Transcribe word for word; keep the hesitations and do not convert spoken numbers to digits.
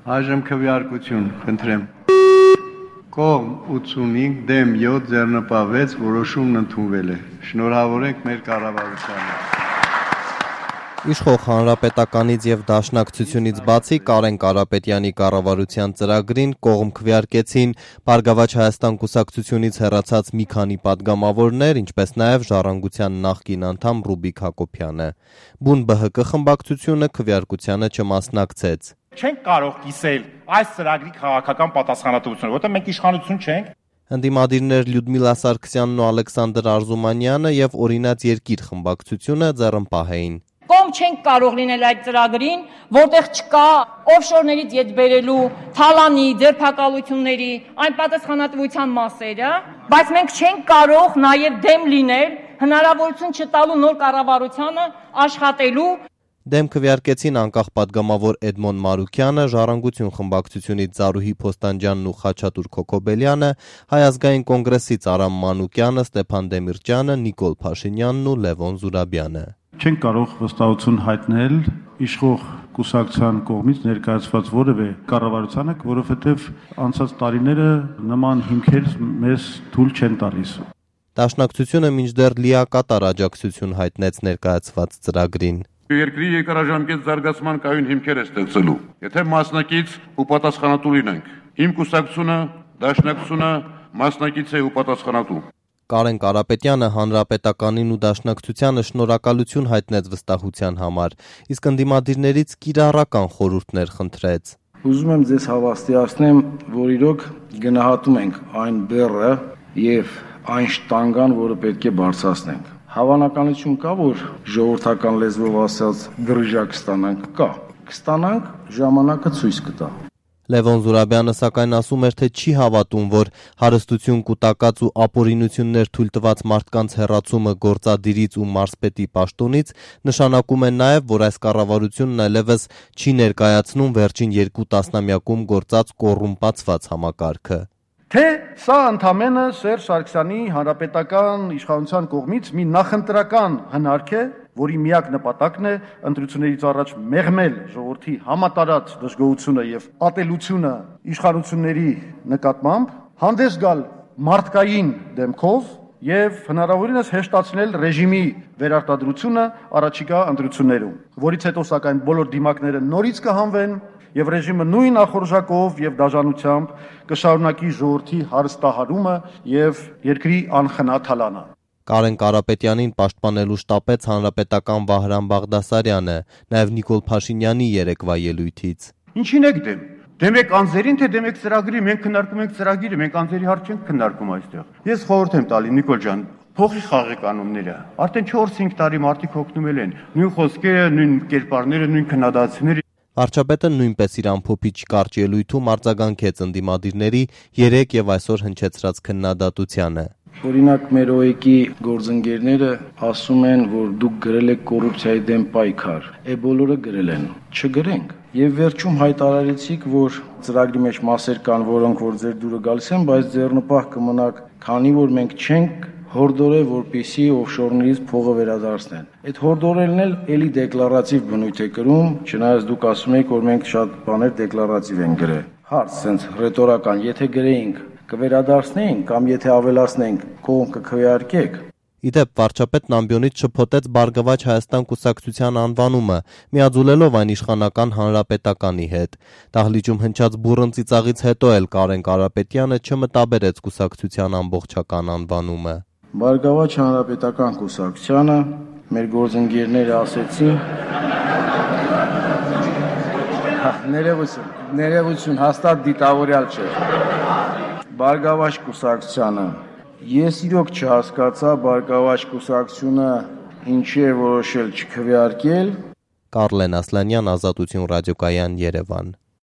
Այժմ քվեարկություն, խնդրեմ։ Կողմ ութսունհինգ, դեմ յոթ, ձեռնպահ վեց, որոշումն ընդունվել է։ Շնորհավորենք մեր կառավարությանը։ Իշխող Հանրապետականից և Դաշնակցությունից բացի Կարեն Կարապետյանի կառավարության ծրագրին կողմ քվեարկեցին Բարգավաճ Հայաստան կուսակցությունից հեռացած մի քանի պատգամավորներ, ինչպես նաև Ժառանգության նախկին անդամ Ռուբիկ Հակոբյանը։ Բուն ԲՀԿ խմբակցությունը քվեարկությանը չմասնակցեց։ Չենք կարող կիսել այս ծրագրի քաղաքական պատասխանատվությունը, որտեղ մենք իշխանություն չենք։ Ընդդիմադիրներ Լյուդմիլա Սարգսյանն ու Ալեքսանդր Արզումանյանը և Օրինաց երկիր խմբակցությունը ձեռնպահ էին։ Կողմ չենք կարող լինել այդ ծրագրին, որտեղ չկա օֆշորներից ետ բերելու, թալանի, ձերբակալությունների, այն պատասխանատվության մասերը, բայց մենք չենք կարող նաև դեմ լինել հնարավորություն չտալու նոր կառավարությանը աշխատելու։ Դեմ քվեարկեցին անկախ պատգամավոր Էդմոն Մարուկյանը, Ժառանգություն խմբակցությունից Զարուհի Փոստանջյանն ու Խաչատուր Քոքոբելյանը, Հայ ազգային կոնգրեսից Արամ Մանուկյանը, Ստեփան Դեմիրճյանը, Նիկոլ Փաշինյանն ու Լևոն Զուրաբյանը։ Չենք կարող վստահություն հայտնել իշխող կուսակցության կողմից ներկայացված որևէ կառավարությանը, որովհետև անցած տարիները նման հիմքեր մեզ թույլ չեն տալիս։ Դաշնակցությունը մինչդեռ լիակատար աջակցություն հայտնեց ներկայացված ծրագրին։ Երկրի երկարաժամկետ զարգացման կայուն հիմքեր է ստեղծելու։ Եթե մասնակից ու պատասխանատու լինենք, իմ կուսակցությունը, Դաշնակցությունը մասնակից է ու պատասխանատու։ Կարեն Կարապետյանը Հանրապետականին ու Դաշնակցությանը շնորհակալություն հայտնեց վստահության համար, իսկ ընդդիմադիրներից կիրառական խորհուրդներ խնդրեց։ Ուզում եմ ձեզ հավաստիացնեմ, որ իրոք գնահատում ենք այն բեռը եւ այն շտանգան, որը պետք է բարձրացնենք։ Հավանականություն կա, որ ժողովրդական լեզվով ասած դրժակ կստանանք, կա։ Կստանանք, ժամանակը ցույց կտա։ Լևոն Զուրաբյանը սակայն ասում էր, թե չի հավատում, որ հարստություն կուտակած ու ապօրինություններ թույլ տված մարդկանց հեռացումը գործադիրից ու մարզպետի պաշտոնից նշանակում է նաև, որ այս կառավարությունն այլևս չի ներկայացնում վերջին երկու տասնամյակում գործած կոռումպացված համակարգը։ Թե սա ընդամենը Սերժ Սարգսյանի հանրապետական իշխանության կողմից մի նախընտրական հնարք է, որի միակ նպատակն է ընտրություններից առաջ մեղմել ժողովրդի համատարած դժգոհությունը եւ ատելությունը իշխանությունների նկատմամբ, հանդես գալ մարդկային դեմքով եւ հնարավորինս հեշտացնել ռեժիմի վերարտադրությունը առաջիկա ընտրություններում, որից հետո սակայն բոլոր դիմակները նորից կհանվեն եւ ռեժիմը նույն ախորժակով եւ դաժանությամբ կշարունակի ժողովրդի հարստահարումը եւ երկրի անխնաթալանը։ Կարեն Կարապետյանին պաշտպանելու շտապեց հանրապետական Վահրամ Բաղդասարյանը, նաև Նիկոլ Փաշինյանի երեկվա ելույթից։ Ինչին եք դեմ։ Դեմ եք անձերին, թե դեմ եք ծրագրի, մենք քննարկում ենք ծրագիրը, մենք անձերի հարց չենք քննարկում այստեղ։ Ես խորհուրդ եմ տալի Նիկոլ ջան, փոխի խաղի կանոնները։ Արդեն չորս-հինգ տարի մարդիկ հոգնում են, նույն խոսքերը, նույն կերպարները, նույն քննադատությունները։ Վարչապետը նույնպես իր ամփոփիչ կարճ ելույթում արձագանքեց ընդդիմադիրների երեկ եւ այսօր հնչեցրած քննադատությանը։ Օրինակ մեր ՕԵԿ-ի գործընկերները ասում են, որ դուք գրել եք կոռուպցիայի դեմ պայքար։ Է բոլորը գրել են։ Չգրենք։ Եվ վերջում հայտարարեցիք, որ ծրագրի մեջ մասեր կան, որոնք որ ձեր դուրը գալիս են, բայց ձեռնպահ կմնաք, քանի որ մենք չենք հորդորել, որպեսի օֆշորներից փողը վերադարձնեն։ Այդ հորդորելն էլ էլի դեկլարատիվ բնույթ է կրում, չնայած դուք ասում եք, որ մենք շատ բաներ դեկլարատիվ ենք գրել։ Հարց sense ռետորական, եթե գրեինք, կվերադարձնեինք կամ եթե ավելացնենք, կողմ կքվեարկեք։ Իդեպ վարչապետն ամբիոնից շփոթեց Բարգավաճ Հայաստան կուսակցության անվանումը, միաձուլելով այն իշխանական հանրապետականի հետ։ Դահլիճում հնչած բուռն ծիծաղից հետո էլ Կարեն Կարապետյանը չմտաբերեց կուսակցության ամբողջական անվանումը։ Բարգավաճ Հանրապետական կուսակցությանը մեր գործընկերները ասեցին ներողություն, ներողություն, հաստատ դիտավորյալ չէ։ Բարգավաճ կուսակցությանը Ես իրոք չհասկացա Բարգավաճ կուսակցությունը ինչի է որոշել չքվեարկել։ Կարլեն Ասլանյան, Ազատություն ռադիոկայան, Երևան։